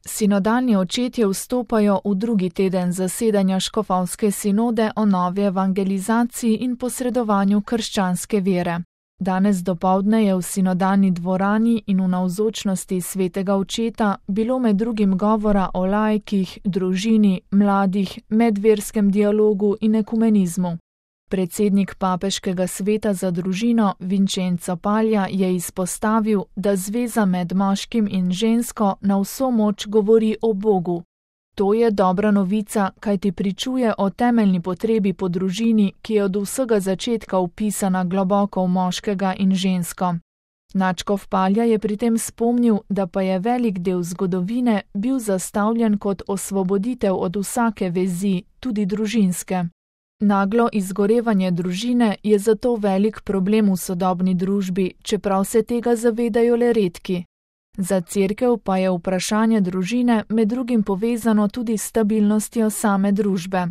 Sinodalni očetje vstopajo v drugi teden zasedanja škofovske sinode o novi evangelizaciji in posredovanju krščanske vere. Danes dopoldne je v sinodalni dvorani in v navzočnosti svetega očeta bilo med drugim govora o laikih, družini, mladih, medverskem dialogu in ekumenizmu. Predsednik papeškega sveta za družino Vincenzo Paglia je izpostavil, da zveza med moškim in žensko na vso moč govori o Bogu. To je dobra novica, kajti pričuje o temeljni potrebi po družini, ki je od vsega začetka vpisana globoko v moškega in žensko. Nadškof Paglia je pri tem spomnil, da pa je velik del zgodovine bil zastavljen kot osvoboditev od vsake vezi, tudi družinske. Naglo izgorevanje družine je zato velik problem v sodobni družbi, čeprav se tega zavedajo le redki. Za Cerkev pa je vprašanje družine med drugim povezano tudi s stabilnostjo same družbe.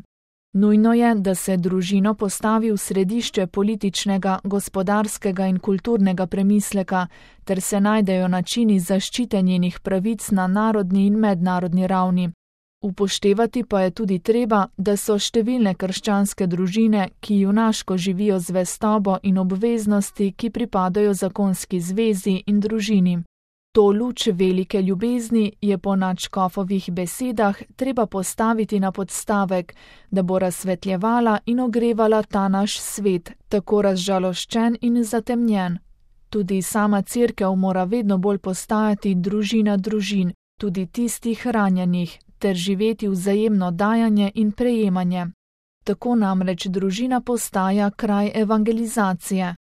Nujno je, da se družino postavi v središče političnega, gospodarskega in kulturnega premisleka, ter se najdejo načini zaščite njenih pravic na narodni in mednarodni ravni. Upoštevati pa je tudi treba, da so številne krščanske družine, ki junaško živijo zvestobo in obveznosti, ki pripadajo zakonski zvezi in družini. To luč velike ljubezni je po nadškofovih besedah treba postaviti na podstavek, da bo razsvetljevala in ogrevala ta naš svet, tako razžaloščen in zatemnjen. Tudi sama Cerkev mora vedno bolj postajati družina družin, tudi tistih ranjenih, ter živeti vzajemno dajanje in prejemanje. Tako namreč družina postaja kraj evangelizacije.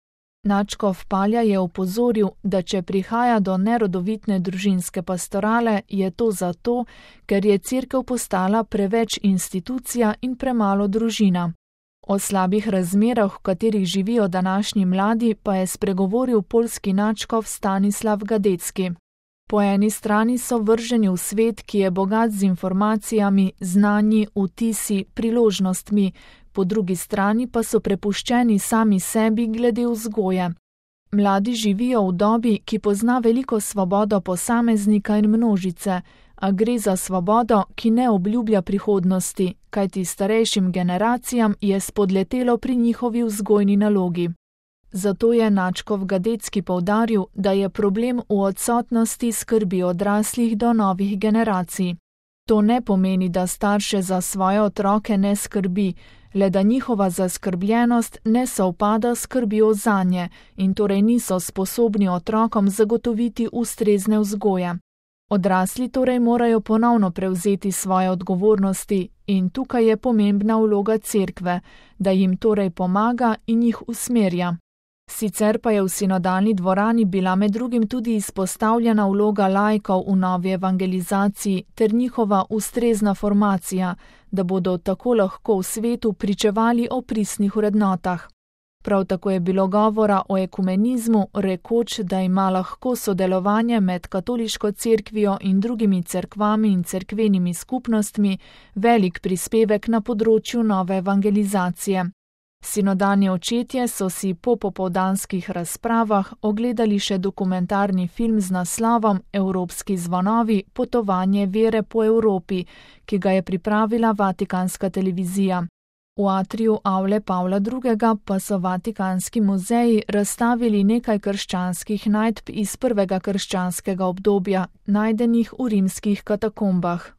Nadškof Paglia je opozoril, da če prihaja do nerodovitne družinske pastorale, je to zato, ker je Cerkev postala preveč institucija in premalo družina. O slabih razmerah, v katerih živijo današnji mladi, pa je spregovoril poljski nadškof Stanislav Gadecki. Po eni strani so vrženi v svet, ki je bogat z informacijami, znanji, vtisi, priložnostmi, po drugi strani pa so prepuščeni sami sebi glede vzgoje. Mladi živijo v dobi, ki pozna veliko svobodo posameznika in množice, a gre za svobodo, ki ne obljublja prihodnosti, kajti starejšim generacijam je spodletelo pri njihovi vzgojni nalogi. Zato je nadškof Gadecki poudaril, da je problem v odsotnosti skrbi odraslih do novih generacij. To ne pomeni, da starše za svoje otroke ne skrbi, le da njihova zaskrbljenost ne sovpada s skrbjo zanje in torej niso sposobni otrokom zagotoviti ustrezne vzgoje. Odrasli torej morajo ponovno prevzeti svoje odgovornosti in tukaj je pomembna vloga Cerkve, da jim torej pomaga in jih usmerja. Sicer pa je v sinodalni dvorani bila med drugim tudi izpostavljena vloga laikov v novi evangelizaciji ter njihova ustrezna formacija, da bodo tako lahko v svetu pričevali o pristnih vrednotah. Prav tako je bilo govora o ekumenizmu, rekoč, da ima lahko sodelovanje med katoliško cerkvijo in drugimi cerkvami in cerkvenimi skupnostmi velik prispevek na področju nove evangelizacije. Sinodalni očetje so si po popoldanskih razpravah ogledali še dokumentarni film z naslovom Evropski zvonovi – potovanje vere po Evropi, ki ga je pripravila Vatikanska televizija. V atriju Avle Pavla II. Pa so Vatikanski muzeji razstavili nekaj krščanskih najdb iz prvega krščanskega obdobja, najdenih v rimskih katakombah.